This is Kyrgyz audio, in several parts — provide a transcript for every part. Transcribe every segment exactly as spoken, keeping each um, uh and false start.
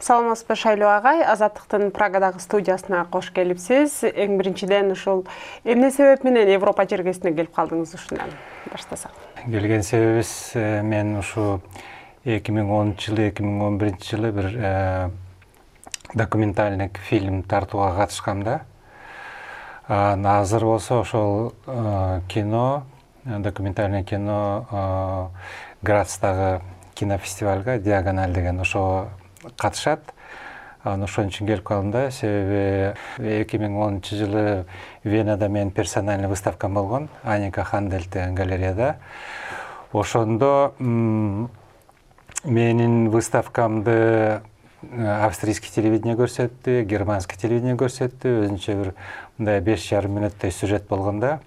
Саламатсызбы Шайлоо агай, Азаттыктын Прагадагы студиясына кош келипсиз. Эң биринчиден ушул эмне себеп менен Европа жергесине келип калдыңыз, ушундан баштасак? Келген себебибиз мен ушу эки миң онунчу жылы, эки миң он биринчи жылы бир документальный фильм тартууга катышкам да. Азыр болсо ошол кино, документальный кино Грацтагы кинофестивальга Диагональ деген ошого катышат. Аны ошон үчүн келип калдым да, себеби эки миң онунчу жылы Венада менин персональный выставкам болгон, Аника Хандель деген галереяда. Ошондо менин выставкамды австрийский телевидение көрсөттү, германский телевидение көрсөттү, өзүнчө бир мындай беш жарым мүнөттөй сюжет болгон да.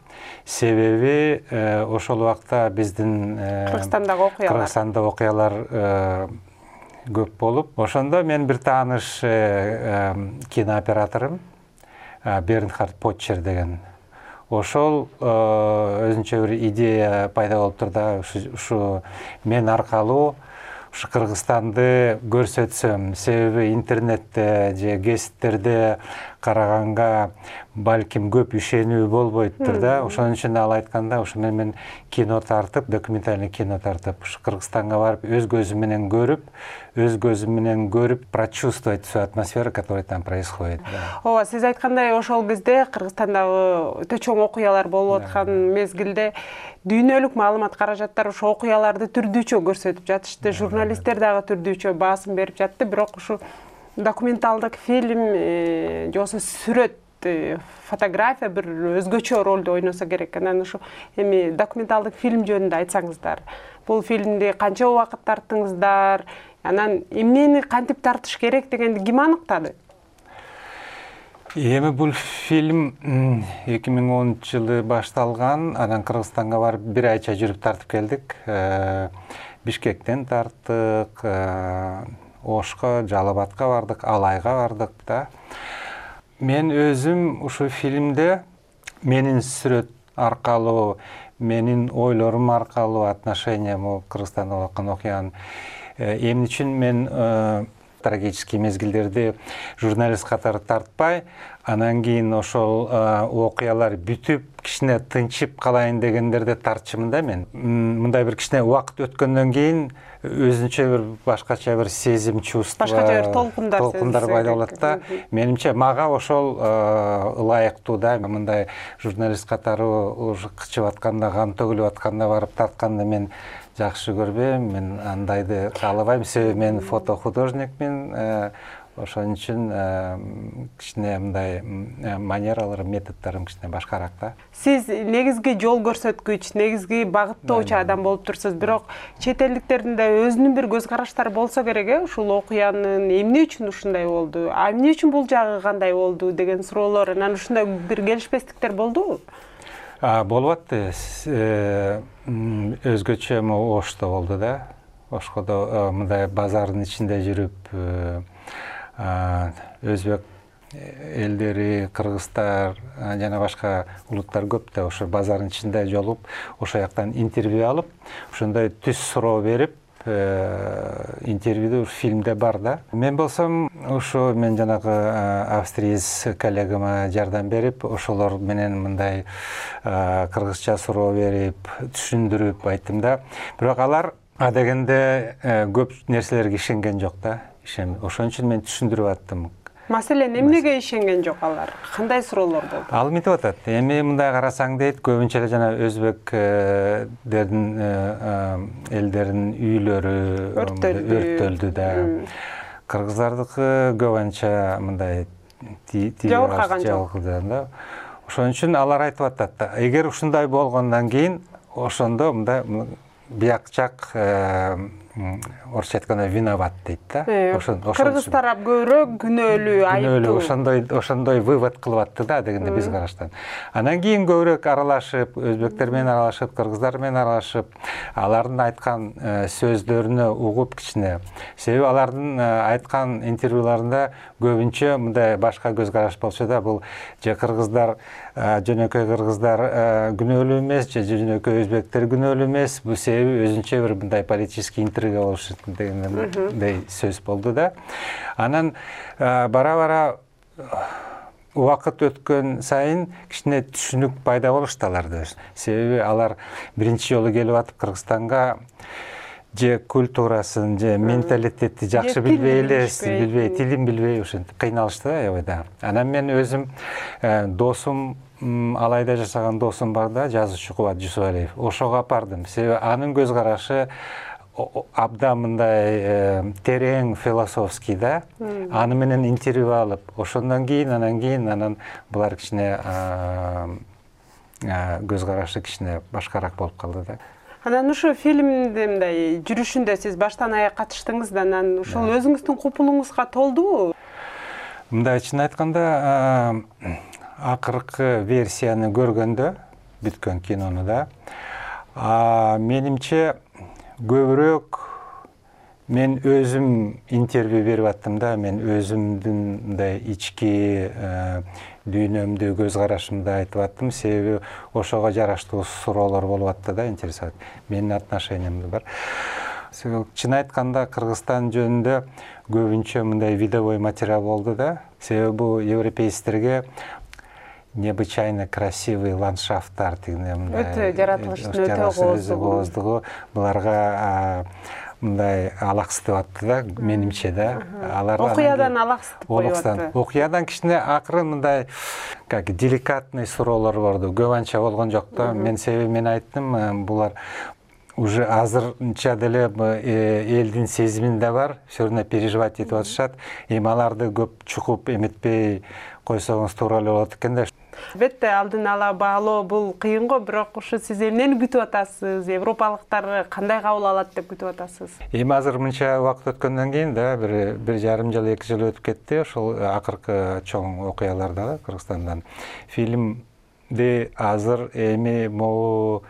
Себеби ошол убакта биздин Кыргызстандагы окуялар Кыргызстанда окуялар көп болуп, ошондо мен бир тааныш кинооператорум Бернхард Потчер деген. Ошол өзүнчө бир идея пайда болуптур да, ушу мен аркылуу ушу Кыргызстанды көрсөтсөм, себеби интернетте же гезиттерде караганга балким көп ишенүү болбойттур да. Ошон үчүн ал айтканда, ушу мен кино тартып, документальный кино тартып, ушу Кыргызстанга барып, өз көзүм менен көрүп, өз көзүм менен көрүп, прочувствовать всю атмосферу, которая там происходит. Ооба, сиз айткандай, ошол кезде Кыргызстандагы өтө чоң окуялар болуп аткан мезгилде дүйнөлүк маалымат каражаттар ошо окуяларды түрдүүчө көрсөтүп жатышты, журналисттер дагы түрдүүчө баасым берип жатты, бирок ушу документалдык фильм же болбосо сүрөт, фотография бир өзгөчө ролду ойносо керек. Анан ушу эми документалдык фильм жөнүндө айтсаңыздар. Бул фильмди канча убакыт тарттыңыздар? Анан эмнени кантип тартыш керек дегенди ким аныктады? Эми бул фильм эки миң онунчу жылы башталган, анан Кыргызстанга барып бир айча жүрүп тартып келдик. Бишкектен тарттык, Ошко, Жалал Абадка бардык, Алайга бардык да. Мен өзүм ушу фильмде менин сүрөт аркылуу, менин ойлорум аркылуу, отношениям Кыргызстанда болуп аткан окуянын эмне үчүн мен трагический мезгилдерди журналист катары тартпай, анан кийин ошол окуялар бүтүп, кичине тынчып калайын дегендерде тартчумун да мен. Мындай бир кичине убакыт өткөндөн кийин өзүнчө бир башкача бир сезим, чувство, башкача бир толкундар толкундар пайда болот да. Менимче мага ошол ылайыктуу да. Мындай журналист катары уже кычып атканда, кан төгүлүп атканда барып тартканды мен жакшы көрбөйм, мен андайды каалабайм, себеби мен фотохудожникмин. Ошон үчүн кичине мындай манераларым, методдорум кичине башкараак да. Сиз негизги жол көрсөткүч, негизги багыттоочу адам болуп турсуз, бирок чет элдиктердин да өзүнүн бир көз караштары болсо керек, э, ушул окуянын эмне үчүн ушундай болду, а эмне үчүн бул жагы кандай болду деген суроолор, анан ушундай бир келишпестиктер болдубу? Болуп атты. Өзгөчө Ошто болду да. Ошкодо мындай базардын ичинде жүрүп, өзбек элдери, кыргыздар жана башка улуттар көп да, ошо базардын ичинде жолугуп, ошол жактан интервью алып, ошондой түз суроо берип, интервьюду фильмде бар да. Мен болсом, ошо мен жанагы австриец коллегама жардам берип, ошолор менен мындай кыргызча суроо берип, түшүндүрүп айттым да. Бирок алар адегенде көп нерселерге ишенген жок да. Ошон үчүн мен түшүндүрүп аттым. Маселен, эмнеге ишенген жок алар? Кандай суроолор болду? Ал мынтип атат. Эми мындай карасаң дейт, көбүнчө эле жана өзбекдердин элдеринин үйлөрү өрттөлдү да. Кыргыздардыкы көп анча мындай жабыркаган жок да. Ошон үчүн алар айтып атат. Эгер ушундай болгондон кийин, ошондо мындай бияк жак орусча айтканда виноват дейт да. Кыргыз тарап көбүрөөк күнөөлүү, айыптуу. Ошондой ошондой вывод кылып атты да, дегенде биз караштан. Анан кийин көбүрөөк аралашып, өзбектер менен аралашып, кыргыздар менен аралашып, алардын айткан сөздөрүнө угуп кичине. Себеби алардын айткан интервьюларында көбүнчө мындай башка көз караш болчу да, бул же кыргыздар, жөнөкөй кыргыздар күнөөлүү эмес, же жөнөкөй өзбектер күнөөлүү эмес. Бул себеби өзүнчө бир мындай политический интервью бирге болушу дегендей сөз болду да. Анан бара-бара убакыт өткөн сайын кичине түшүнүк пайда болушту аларда. Себеби алар биринчи жолу келип атып Кыргызстанга же культурасын, же менталитетти жакшы билбей элес, билбей, тилин билбей ошентип кыйналышты да аябайда. Анан мен өзүм досум, Алайда жашаган досум бар да, жазуучу Кубат Жусупалиев. Ошого апардым. Себеби анын көз карашы абдан мындай терең философский да. Аны менен интервью алып, ошондон кийин, анан кийин анан булар кичине көз карашы кичине башкараак болуп калды да. Анан ушу фильмде мындай жүрүшүндө сиз баштан аяк катыштыңыз да, анан ушул өзүңүздүн купулуңузга толдубу? Мындай чын айтканда, акыркы версияны көргөндө, бүткөн кинону да, менимче көбүрөөк мен өзүм интервью берип аттым да, мен өзүмдүн мындай ички дүйнөмдү, көз карашымды айтып аттым, себеби ошого жараштуу суроолор болуп атты да, интересовать. Менин отношениямды бар. Чын айтканда Кыргызстан жөнүндө көбүнчө мындай видовой материал болду да, себеби бул европейцтерге необычайно красивый ландшафттар дегенде өтө жаратылыштын өтө кооздугу буларга мындай алаксытып атты да, менимче да. Алар окуядан алаксытып коюп атты. Окуядан кичине акырын мындай как деликатный суроолор болду. Көп анча болгон жок да. Мен себеби мен айттым, булар уже азырынча деле элдин сезиминде бар, всё равно переживать этип атышат. Эми аларды көп чукуп эметпей койсоңуз туура эле болот экен да. Албетте, алдын ала баалоо бул кыйын го, бирок ушу сиз эмнени күтүп атасыз? Европалыктар кандай кабыл алат деп күтүп атасыз? Эми азыр мынча убакыт өткөндөн кийин да, бир бир жарым жыл, эки жыл өтүп кетти, ошол акыркы чоң окуяларда Кыргызстандан. Фильмди азыр эми могу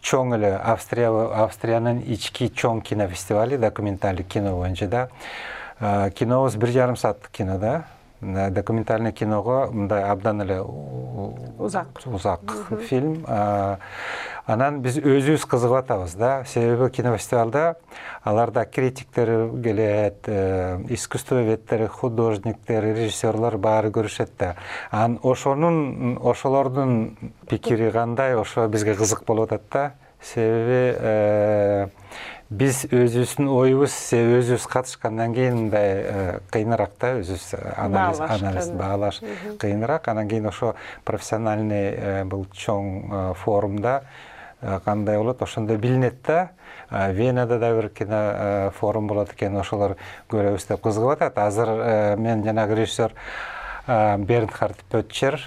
чоң эле Австрия Австриянын ички чоң кинофестивали, документалдык кино боюнча да. Кинобуз бир жарым сааттык кино да. Документальный киного мындай абдан эле узак узак фильм. Анан биз өзүбүз кызыгып атабыз да. Себеби кинофестивалда аларда критиктер келет, искусствоведтер, художниктер, режиссерлор баары көрүшөт да. Анан ошонун ошолордун пикири кандай, ошо бизге кызык болуп атат да. Себеби биз өзүбүздүн оюбуз, өзүбүз катышкандан кийин мындай кыйыныраак да, өзүбүз анализ анализ баалаш кыйыныраак. Анан кийин ошо профессиональный бул чоң форумда кандай болот, ошондо билинет да. Венада да бир кино форум болот экен, ошолор көрөбүз деп кызыгып атат. Азыр мен жанагы режиссер Бернхард Петчер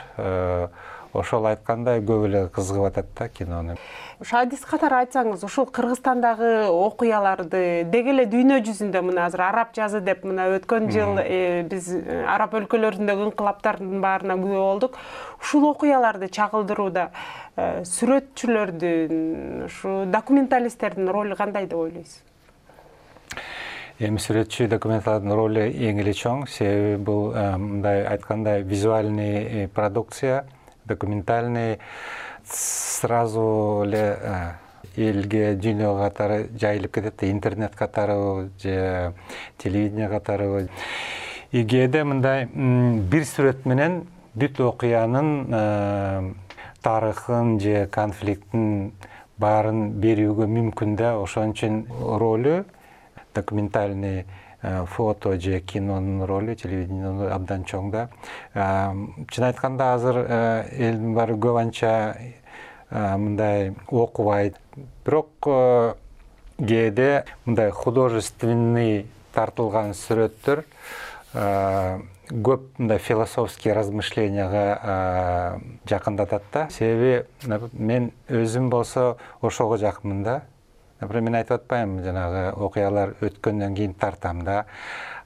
ошол айткандай көп эле кызыгып атат да кинону. Ошо адис катары айтсаңыз, ушул Кыргызстандагы окуяларды деги эле дүйнө жүзүндө мына азыр араб жазы деп мына өткөн жыл биз араб өлкөлөрүндөгү инкылаптардын баарына күбө болдук. Ушул окуяларды чагылдырууда сүрөтчүлөрдүн, ушу документалисттердин ролу кандай деп ойлойсуз? Эми сүрөтчү документалдын ролу эң эле чоң, себеби бул мындай айткандай визуальный продукция, документальный сразу эле элге, дүйнө катары жайылып кетет, интернет катары же телевидение катары. Эгерде мындай бир сүрөт менен бүт окуянын тарыхын же конфликттин баарын берүүгө мүмкүн да. Ошон үчүн ролу документальный фото же кинонун ролу, телевидениенин абдан чоң да. Чын айтканда азыр элдин баары көп анча мындай окубайт. Бирок кээде мындай художественный тартылган сүрөттөр көп мындай философский размышленияга жакындатат да. Себеби мен өзүм болсо ошого жакынмын да. Например, мен айтып атпайм, жанагы окуялар өткөндөн кийин тартам да.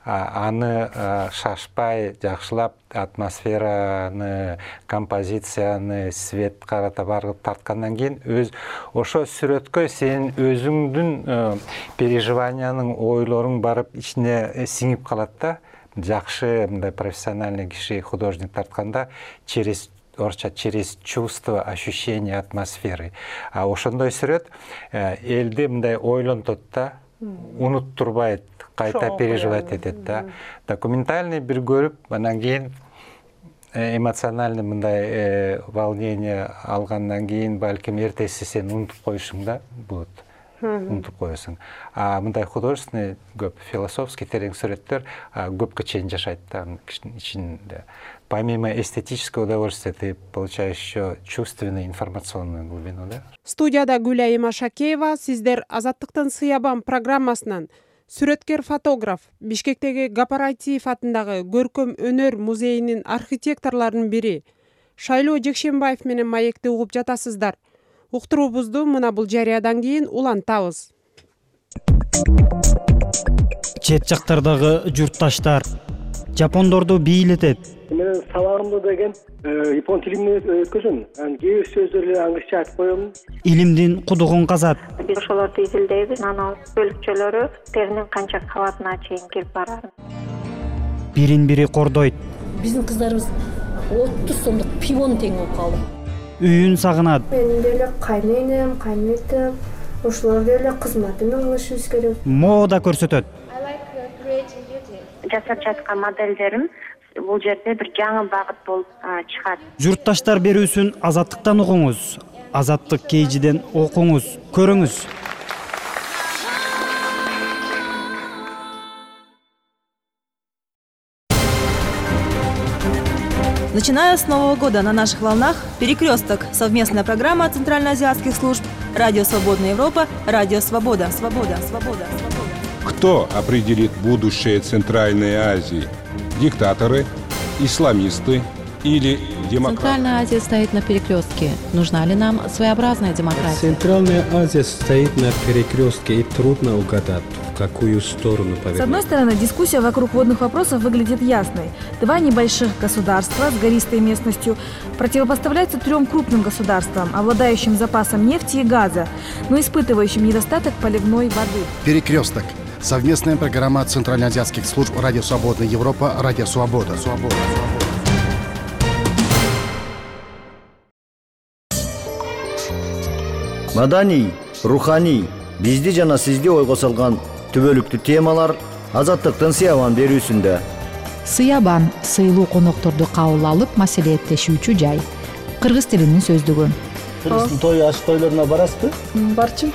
Аны шашпай, жакшылап, атмосфераны, композицияны, свет карата барып тарткандан кийин өз ошо сүрөткө сенин өзүңдүн переживанияның, ойлоруң барып ичине сиңип калат да. Жакшы мындай профессиональный киши, художник тартканда через орча через чувство, ощущение атмосферы. А ошондой сүрөт элди мындай ойлонтот да. унуттурбайт, кайта переживать этет да. Документальный бир көрүп, анан кийин эмоциональный мындай волнение алгандан кийин балким эртеси сен унутуп коюшуң да болот. Унутуп коесуң. А мындай художественный көп, философский терең сүрөттөр көпкө чейин жашайт да ичинде. Помимо эстетического удовольствия ты получаешь еще чувственную информационную глубину, да? Студияда Гүлай Имашакеева, сиздер Азаттыктын Сыябан программасынан сүрөткер-фотограф, Бишкектеги Гапарайтиев атындагы Көркөм өнөр музейинин архитекторлорунун бири Шайлоо Жекшенбаев менен маекти угуп жатасыздар. Уктуруубузду мына бул жарыядан кийин улантабыз. Чет жактардагы журтташтар жапондорду бийлетет. Мен сабагымды деген япон тилинде өткөзөм. Анан кээ бир сөздөрдү англисче айтып коем. Илимдин кудугун казат. Биз ошолорду изилдейбиз. Анан бөлүкчөлөрү теринин канча кабатына чейин кирип барат. Бирин-бири кордойт. Биздин кыздарыбыз отуз сомдук пивону тең болуп калды. Үйүн сагынат. Менин деле кайненем, кайнетем, ошолор деле кызматын кылышыбыз керек. Мода көрсөтөт. Жасап жаткан моделдерим бул жерде бир жаңы багыт болуп чыгат. Журтташтар берүүсүн Азаттыктан угуңуз. Азаттык кейжиден окуңуз, көрүңүз. Начиная с Нового года на наших волнах «Перекресток» — совместная программа центральноазиатских служб «Радио Свободная Европа», «Радио Свобода», «Свобода», «Свобода», «Свобода». Кто определит будущее Центральной Азии? Диктаторы, исламисты или демократы? Центральная Азия стоит на перекрестке. Нужна ли нам своеобразная демократия? Центральная Азия стоит на перекрестке, и трудно угадать, в какую сторону повернуть. С одной стороны, дискуссия вокруг водных вопросов выглядит ясной. Два небольших государства с гористой местностью противопоставляются трем крупным государствам, обладающим запасом нефти и газа, но испытывающим недостаток поливной воды. Перекресток. Совместная программа центральноазиатских служб «Радио Свободная Европа», «Радио Свобода». Свобода. Маданий, руханий, бизди жана сизди ойго салган түбөлүктүү темалар Азаттыктын Сыябан берүүсүндө. Сыябан — сыйлуу конокторду кабыл алып маселелеттешүүчү жай. Кыргыз тилинин сөздүгү. Кыргыздын той аш тойлоруна барасызбы? Барчым.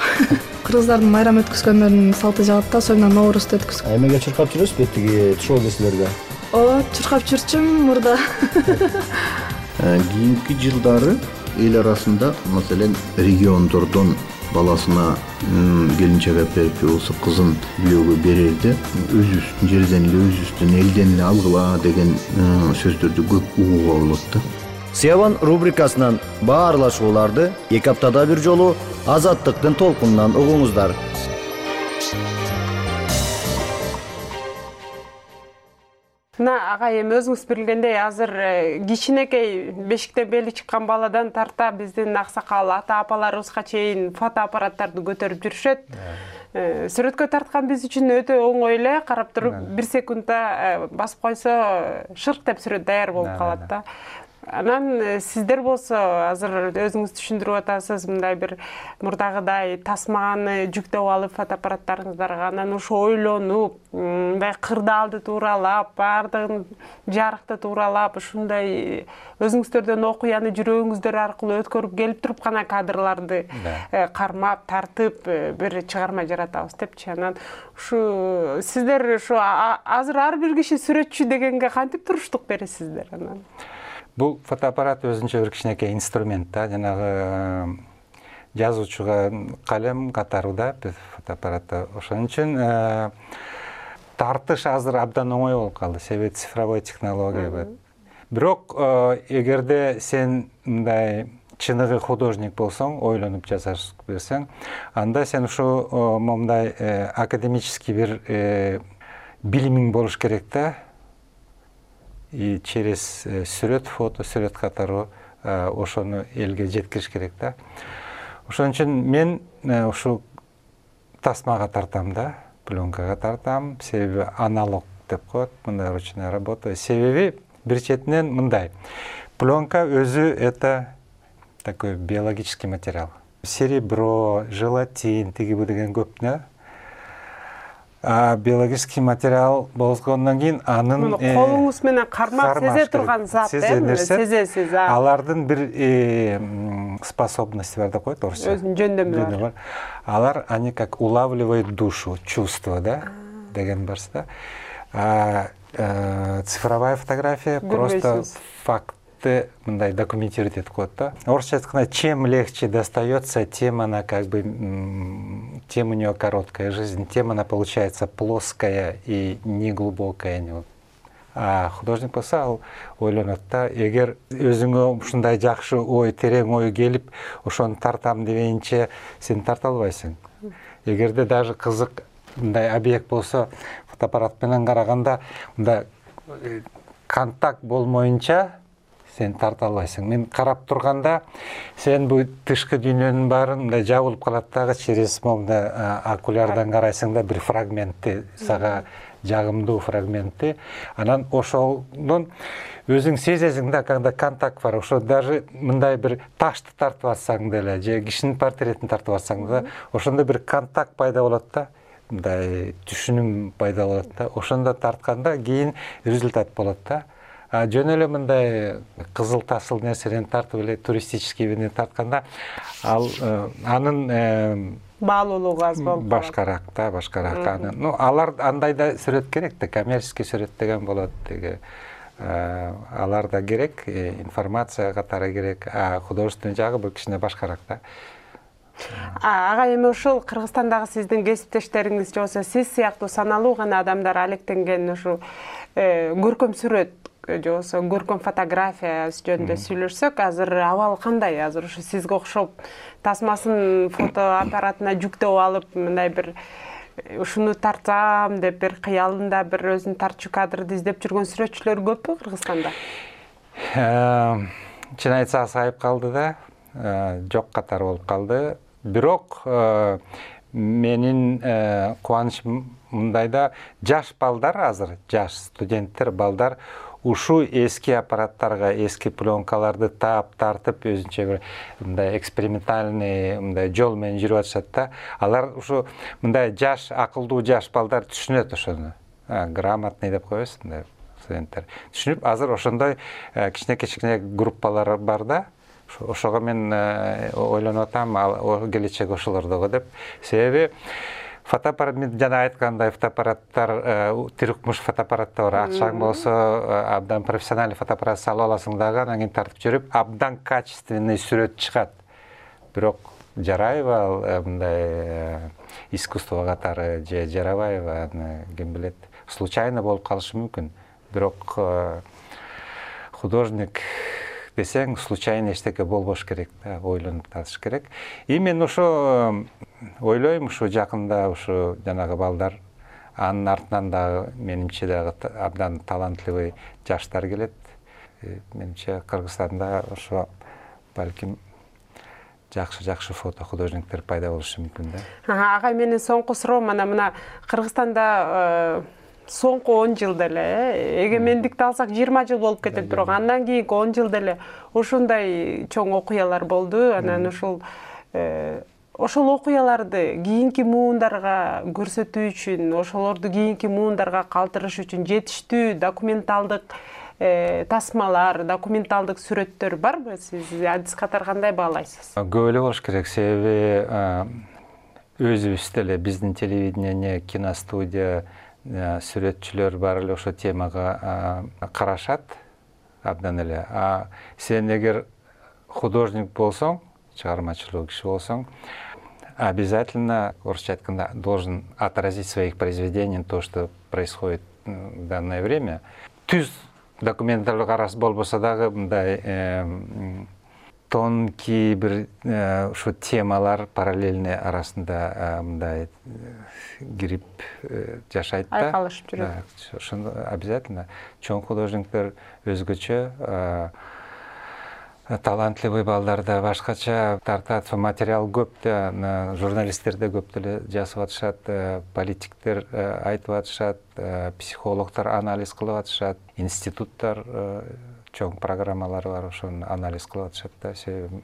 Кыргыздардын майрам өткөзгөндөрүнүн салты жагат, особенно Ноорузду өткөзгөн. Эмеге чуркап жүрөсүзбү тиги шоу кесилерге? Ооба, чуркап жүрчүм мурда. Кийинки жылдары эл арасында, маселен, региондордон баласына келинчек берип болсо кызын бүйөөгө берерде өзүбүздүн жерден эле, өзүбүздүн элден эле алгыла деген сөздөрдү көп угууга болот да. Сыябан рубрикасынан баарлашууларды эки аптада бир жолу Азаттыктын толкунунан угуңуздар. Мына агай эми өзүңүз билгендей, азыр кичинекей бешиктен бели чыккан баладан тарта биздин аксакал ата апаларыбызга чейин фотоаппараттарды көтөрүп жүрүшөт. Сүрөткө тарткан биз үчүн өтө оңой эле, карап туруп бир секундда басып койсо шырк деп сүрөт даяр болуп калат да. Анан сиздер болсо азыр өзүңүз түшүндүрүп атасыз, мындай бир мурдагыдай тасманы жүктөп алып фотоаппараттарыңыздарга анан ошо ойлонуп, мындай кырдаалды тууралап, баардыгын жарыкты тууралап, ушундай өзүңүздөрдөн окуяны жүрөгүңүздөр аркылуу өткөрүп келип туруп гана кадрларды кармап, тартып бир чыгарма жаратабыз депчи. Анан ушу сиздер ушу азыр ар бир киши сүрөтчү дегенге кантип туруштук бересиздер анан? Бул фотоаппарат өзүнчө бир кичинекей инструмент да, жанагы жазуучуга калем катары да фотоаппаратта. Ошон үчүн тартыш азыр абдан оңой болуп калды, себеби цифровой технология бар. Бирок эгерде сен мындай чыныгы художник болсоң, ойлонуп жасашып берсең, анда сен ушу момундай академический бир билимиң болуш керек да. И через сүрөт, фото, сүрөт катары ошону элге жеткириш керек да. Ошон үчүн мен ушу тасмага тартам да, пленкага тартам, себеби аналог деп коет, мындай ручная работа. Себеби бир четинен мындай. Пленка өзү это такой биологический материал. Серебро, желатин, тиги бу деген көп да. Биологический материал болгондон кийин анын колуңуз менен кармап сезе турган зат, сезесиз. Алардын бир способности бар деп коет орусча. Өзүнүн жөндөмү бар. Алар они как улавливают душу, чувство, да, деген барс да. Цифровая фотография просто факты мындай документировать этип коет да. Орусча айтканда, чем легче достается, тем она как бы, тем у нее короткая жизнь, тем она получается плоская и неглубокая. А художник болсо ал ойлонот да, эгер өзүңө ушундай жакшы ой, терең ой келип, ошону тартам дегенче сен тарта албайсың. Эгерде даже кызык мындай объект болсо, фотоаппарат менен караганда, мындай контакт болмоюнча сен тарта албайсың. Мен карап турганда, сен бул тышкы дүйнөнүн баарын мындай жабылып калат дагы, через мындай окулярдан карайсың да, бир фрагментти, сага жагымдуу фрагментти. Анан ошонун өзүң сезесиң да, когда контакт бар. Ошо даже мындай бир ташты тартып атсаң деле, же кишинин портретин тартып атсаң да, ошондо бир контакт пайда болот да. Мындай түшүнүм пайда болот да. Ошондо тартканда кийин результат болот да. Жөн эле мындай кызыл тасыл нерседен тартып эле туристический бирини тартканда, ал анын баалуулугу аз болуп башкараак да, башкараак анын. Ну, алар андай да сүрөт керек да, коммерческий сүрөт деген болот деги. Алар да керек, информация катары керек, а художественный жагы бул кичине башкараак да. Ага, эми ушул Кыргызстандагы сиздин кесиптештериңиз же болсо сиз сыяктуу саналуу гана адамдар алектенген ушу көркөм сүрөт же болсо көркөм фотография жөнүндө сүйлөшсөк, азыр абал кандай? Азыр ушу сизге окшоп тасмасын фотоаппаратына жүктөп алып, мындай бир ушуну тартсам деп бир кыялында бир өзүн тартчу кадрды издеп жүргөн сүрөтчүлөр көппү Кыргызстанда? Чын айтсак айып калды да, жок катары болуп калды. Бирок менин кубанычым мындайда, жаш балдар азыр, жаш студенттер, балдар ушу эски аппараттарга, эски пленкаларды таап, тартып, өзүнчө бир мындай экспериментальный мындай жол менен жүрүп атышат да. Алар ушу мындай жаш, акылдуу жаш балдар түшүнөт ошону. Грамотный деп коебуз, мындай студенттер. Түшүнүп, азыр ошондой кичине-кичине группалар бар да. Ошого мен ойлонуп атам, келечек ошолордогу деп. Себеби фотоаппарат, мен жана айткандай, фотоаппараттар, тиркмуш фотоаппараттар бар. Акчаң болсо, абдан профессиональный фотоаппарат салып аласың дагы, анан кийин тартып жүрүп, абдан качественный сүрөт чыгат. Бирок жарайбы мындай искусство катары же жарабайбы, аны ким билет. Случайно болуп калышы мүмкүн. Бирок художник десең, случайно эчтеке болбош керек да, ойлонуп татыш керек. И мен ошо ойлойм, ушу жакында ушу жанагы балдар, анын артынан дагы менимче дагы абдан талантливый жаштар келет. Менимче Кыргызстанда ошо балким жакшы-жакшы фото художниктер пайда болушу мүмкүн да. Ага, менин соңку суроом мына мына Кыргызстанда соңку он жылда эле, эгемендикти алсак жыйырма жыл болуп кетет, бирок андан кийинки он жылда эле ушундай чоң окуялар болду. Анан ушул ошол окуяларды кийинки муундарга көрсөтүү үчүн, ошолорду кийинки муундарга калтырыш үчүн жетиштүү документалдык тасмалар, документалдык сүрөттөр барбы? Сиз адис катары кандай баалайсыз? Көп эле болуш керек, себеби өзүбүз деле биздин телевидение, киностудия, сүрөтчүлөр бар эле ошо темага карашат абдан эле. А сен эгер художник болсоң, чыгармачылык киши болсоң, обязательно, орусча айтканда, должен отразить в своих произведениях то, что происходит в данное время. Түз документалдык караш болбосо дагы мындай тонкий бир ушу темалар параллельный арасында мындай кирип жашайт да. Айкалышып жүрөт. Ошондо обязательно чоң художниктер өзгөчө, талантливый балдар да башкача тартат, материал көп да, журналисттер да көп деле жазып атышат, политиктер айтып атышат, психологдор анализ кылып атышат, институттар чоң программалары бар, ошону анализ кылып атышат да. Себеби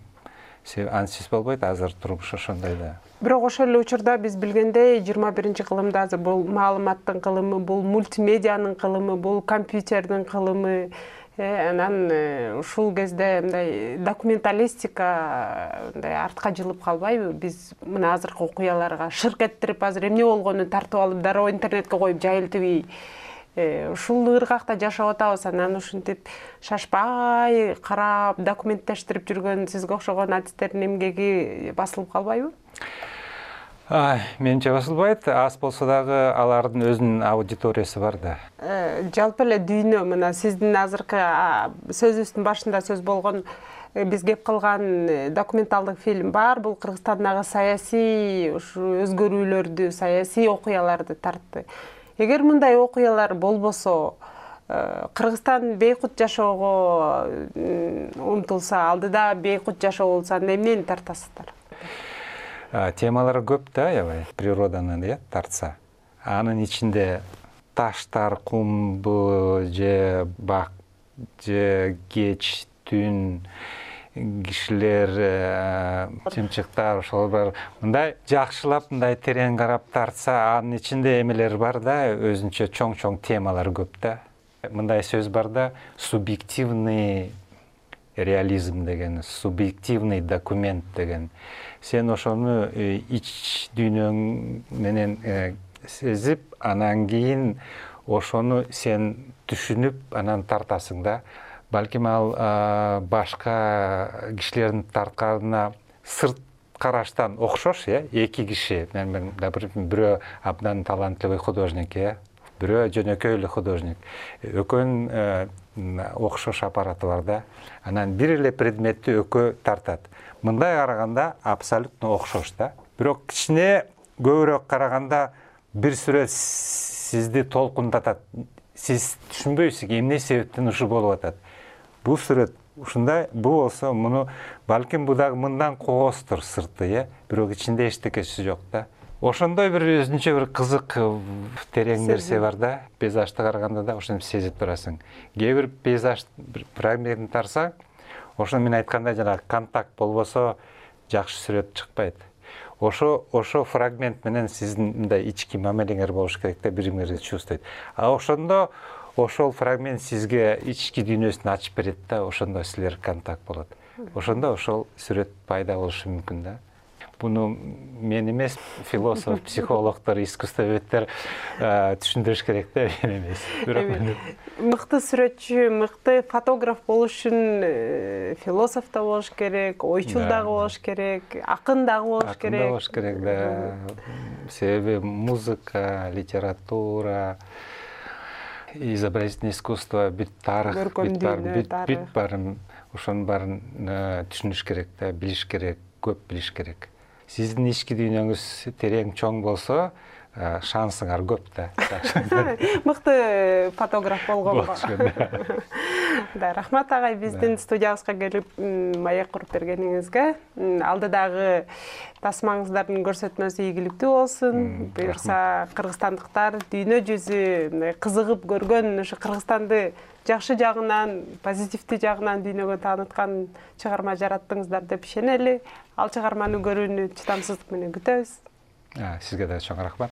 Ансыз болбойт, азыр турмуш ошондой да. Бирок ошол эле учурда биз билгендей жыйырма биринчи кылымда азыр бул маалыматтын кылымы, бул мультимедианын кылымы, бул компьютердин кылымы, анан ушул кезде мындай документалистика мындай артка жылып калбайбы? Биз мына азыркы окуяларга шырк эттирип, азыр эмне болгонун тартып алып, дароо интернетке коюп жайылтып, ушул ыргакта жашап атабыз. Анан ушинтип шашпай карап, документтештирип жүргөн сизге окшогон адистердин эмгеги басылып калбайбы? Менимче басылбайт, аз болсо дагы алардын өзүнүн аудиториясы бар да. Жалпы эле дүйнө, мына сиздин азыркы сөзүбүздүн башында сөз болгон, биз кеп кылган документалдык фильм бар. Бул Кыргызстандагы саясий өзгөрүүлөрдү, саясий окуяларды тартты. Эгер мындай окуялар болбосо, Кыргызстан бейкут жашоого умтулса, алдыда бейкут жашоо болсо, эмнени тартасыздар? Темалары көп да, аябай, природанын тартса. Анын ичинде таштар, кумбу, же бак, же кеч, түн, кишилер, чымчыктар, ошол бар. Мындай жакшылап, мындай терең карап тартса, анын ичинде эмелер бар да, өзүнчө чоң-чоң темалар көп да. Мындай сөз бар да, субъективный реализм деген, субъективный документ деген. Сен ошону ич дүйнөң менен сезип, анан кийин ошону сен түшүнүп, анан тартасың да. Балким ал башка кишилердин тартканына сырт караштан окшош, э, эки киши, мен бирөө абдан талантливый художник, э, бирөө жөнөкөй эле художник. Экөөнүн окшош аппараты бар да. Анан бир эле предметти экөө тартат. Мындай караганда абсолютно окшош да. Бирок кичине көбүрөөк караганда бир сүрөт сизди толкундатат. Сиз түшүнбөйсүз, эмне себептен ушу болуп атат. Бул сүрөт ушундай, бул болсо муну балким бу дагы мындан кооздур сырты, э, бирок ичинде эчтекеси жок да. Ошондой бир өзүнчө бир кызык терең нерсе бар да. Пейзажды караганда да ошону сезип турасың. Кээ бир пейзаж фрагментин тарсаң, ошо мен айткандай жанагы контакт болбосо жакшы сүрөт чыкпайт. Ошо ошо фрагмент менен сиздин мындай ички мамилеңер болуш керек да, биримиңерди чувствойт. А ошондо ошол фрагмент сизге ички дүйнөсүн ачып берет да, ошондо силер контакт болот. Ошондо ошол сүрөт пайда болушу мүмкүн да. Буну мен эмес, философ, психологдор, искусствоведтер түшүндүрүш керек да, мен эмес. Мыкты сүрөтчү, мыкты фотограф болуш үчүн философ да болуш керек, ойчул дагы болуш керек, акын дагы болуш керек. Акын да болуш керек да. Себеби музыка, литература, изобразительное искусство, бүт тарых, бүт барын, ошонун барын түшүнүш керек да, билиш керек, көп билиш керек. Сиздин ички дүйнөңүз терең чоң болсо, шансыңар көп да. Мыкты фотограф болгонго. Да, рахмат агай, биздин студиябызга келип маек куруп бергениңизге. Алдыдагы тасмаңыздардын көрсөтмөсү ийгиликтүү болсун. Буюрса кыргызстандыктар дүйнө жүзү кызыгып көргөн ушу Кыргызстанды жакшы жагынан, позитивдүү жагынан дүйнөгө тааныткан чыгарма жараттыңыздар деп ишенели. Ал чыгарманы көрүүнү чыдамсыздык менен күтөбүз. Сизге да чоң рахмат.